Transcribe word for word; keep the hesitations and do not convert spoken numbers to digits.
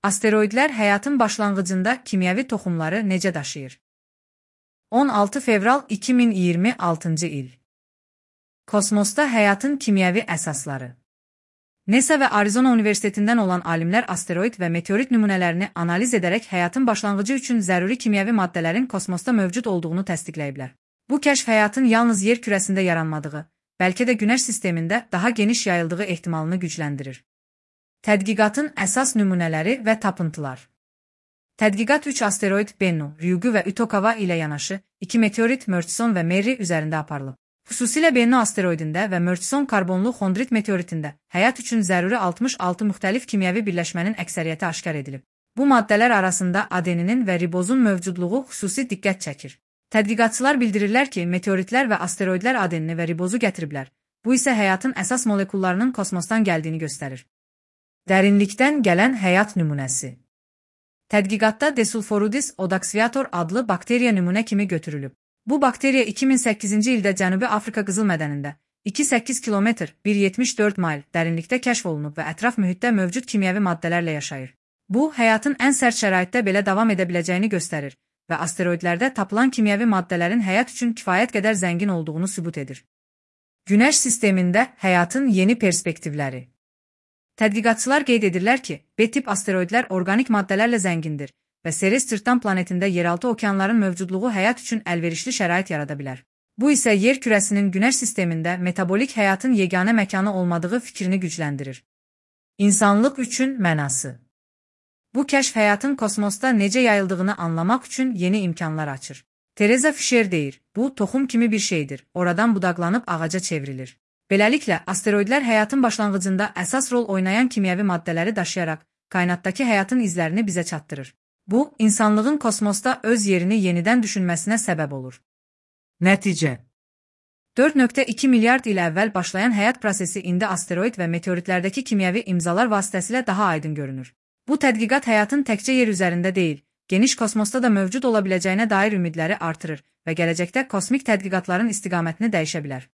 Asteroidlər həyatın başlanğıcında kimyəvi toxumları necə daşıyır? on altı fevral iki min iyirmi altıncı il. Kosmosda həyatın kimyəvi əsasları. NASA və Arizona Universitetindən olan alimlər asteroid və meteorit nümunələrini analiz edərək həyatın başlanğıcı üçün zəruri kimyəvi maddələrin kosmosda mövcud olduğunu təsdiqləyiblər. Bu kəşf həyatın yalnız yer kürəsində yaranmadığı, bəlkə də Günəş sistemində daha geniş yayıldığı ehtimalını gücləndirir. Tədqiqatın əsas nümunələri və tapıntılar. Tədqiqat üç asteroid Bennu, Ryugu və Itokawa ilə yanaşı, iki meteorit Murchison və Mary üzərində aparılıb. Xüsusilə Bennu asteroidində və Murchison karbonlu xondrit meteoritində həyat üçün zəruri altmış altı müxtəlif kimyəvi birləşmənin əksəriyyəti aşkar edilib. Bu maddələr arasında adeninin və ribozun mövcudluğu xüsusi diqqət çəkir. Tədqiqatçılar bildirirlər ki, meteoritlər və asteroidlər adenini və ribozu gətiriblər. Bu isə həyatın əsas molekullarının kosmosdan gəldiyini göstərir. Dərinlikdən gələn həyat nümunəsi. Tədqiqatda Desulforudis odaxviator adlı bakteriya nümunə kimi götürülüb. Bu bakteriya iki min səkkizinci ildə Cənubi Afrika qızıl mədənində iki nöqtə səkkiz kilometr bir nöqtə yetmiş dörd mayl dərinlikdə kəşf olunub və ətraf mühitdə mövcud kimyəvi maddələrlə yaşayır. Bu, həyatın ən sərt şəraitdə belə davam edə biləcəyini göstərir və asteroidlərdə tapılan kimyəvi maddələrin həyat üçün kifayət qədər zəngin olduğunu sübut edir. Günəş sistemində həyatın yeni perspektivləri. Tədqiqatçılar qeyd edirlər ki, B-tip asteroidlər orqanik maddələrlə zəngindir və Ceres cırtdan planetində yeraltı okeanların mövcudluğu həyat üçün əlverişli şərait yarada bilər. Bu isə yer kürəsinin Günəş sistemində metabolik həyatın yeganə məkanı olmadığı fikrini gücləndirir. İnsanlıq üçün mənası. Bu kəşf həyatın kosmosda necə yayıldığını anlamaq üçün yeni imkanlar açır. Teresa Fisher deyir, bu toxum kimi bir şeydir, oradan budaqlanıb ağaca çevrilir. Beləliklə, asteroidlər həyatın başlanğıcında əsas rol oynayan kimyəvi maddələri daşıyaraq kainatdakı həyatın izlərini bizə çatdırır. Bu, insanlığın kosmosda öz yerini yenidən düşünməsinə səbəb olur. Nəticə. dörd nöqtə iki milyard il əvvəl başlayan həyat prosesi indi asteroid və meteoritlərdəki kimyəvi imzalar vasitəsilə daha aydın görünür. Bu tədqiqat həyatın təkcə yer üzərində deyil, geniş kosmosda da mövcud ola biləcəyinə dair ümidləri artırır və gələcəkdə kosmik tədqiqatların istiqamətini dəyişə bilər.